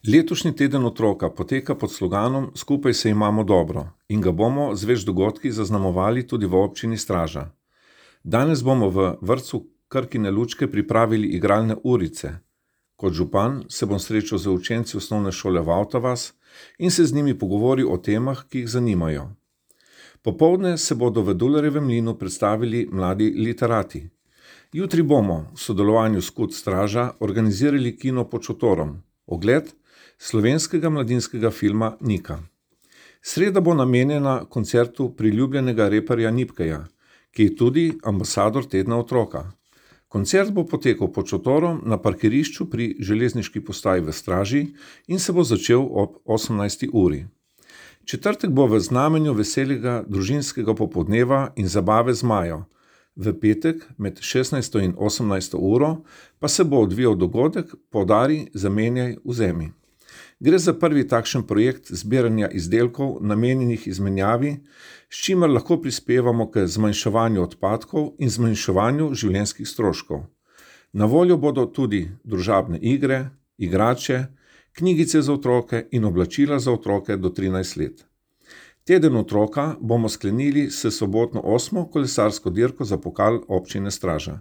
Letošnji teden otroka poteka pod sloganom Skupaj se imamo dobro in ga bomo z več dogodki zaznamovali tudi v občini Straža. Danes bomo v vrtcu Krkine lučke pripravili igralne urice. Kot župan se bom srečal z učenci osnovne šole Vavta vas in se z njimi pogovoril o temah, ki jih zanimajo. Popoldne se bodo v Dularjevem mlinu predstavili mladi literati. Jutri bomo v sodelovanju s KUD Straža organizirali kino pod šotorom, ogled slovenskega mladinskega filma Nika. Sreda bo namenjena koncertu priljubljenega reperja Nipkeja, ki je tudi ambasador tedna otroka. Koncert bo potekal pod šotorom na parkirišču pri železniški postaji v Straži in se bo začel ob 18. uri. Četrtek bo v znamenju veselega družinskega popoldneva in zabave z Majo. V petek med 16. in 18. uro pa se bo odvijal dogodek Podari, zamenjaj, vzemi. Gre za prvi takšen projekt zbiranja izdelkov namenjenih izmenjavi, s čimer lahko prispevamo k zmanjševanju odpadkov in zmanjševanju življenjskih stroškov. Na voljo bodo tudi družabne igre, igrače, knjigice za otroke in oblačila za otroke do 13 let. Teden otroka bomo sklenili s sobotno 8. kolesarsko dirko za pokal občine Straža.